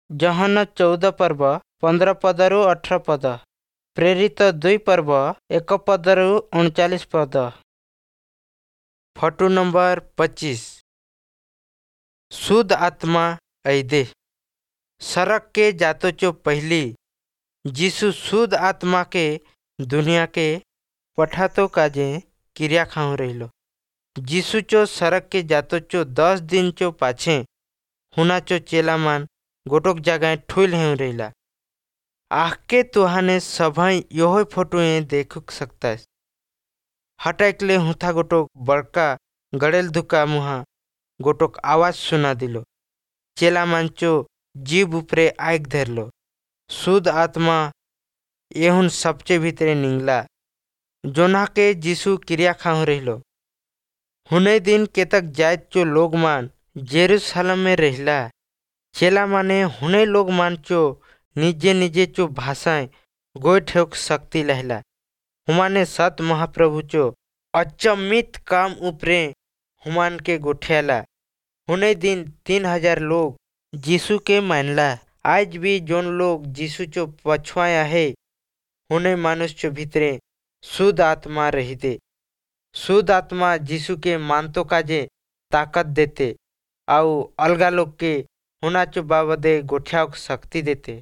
ଯୋହନ 14 ପର୍ବ 15 ପଦରୁ 18 ପଦ, ପ୍ରେରିତ 2 ପର୍ବ 1 ପଦରୁ 39 ପଦ। Photo number 25। शुद्ध आत्मा ऐदे। सड़क के जातोचो पहली जीसु शुद्ध आत्मा के दुनिया के पठातो काजे क्रिया खाऊं रहिलो। जीसु चो सड़क के जातोचो 10 दिन चो पाछे हुनाचो चेला मान गोटोक जगह ठुल हेउ रहिला। आके तुहाने सभाई योहो फोटोए देख सकता है। हटाइकले हुथा गोटोक बड़का गड़ेल धुका मुहा गोटोक आवाज सुना दिलो। चेला मानचो जीव उपरे आइक धरलो। शुद्ध आत्मा एहुन सबचे भीतरे निंगला जोना के जीसु क्रिया खाऊं रहिलो। हुने दिन केतक जायत चो लोग मान जेरूसलम में रहिला। चेला माने हुने लोग मानचो निजे निजे चो भाषाएं गोठेक शक्ति लहला। हुमाने सत महाप्रभु चो अचमित काम उपरे हुमान के गोठियाला। हुने दिन 3000 लोग जीसु के मानला। आज भी जोन लोग जीसु चो पछुआया है हुने मानुष चो भीतरे शुद्ध आत्मा रही दे। शुद्ध आत्मा जीसु के मानतो काजे ताकत देते आउ अलगा लोग के हुना चो बाबदे गोठिया शक्ति देते।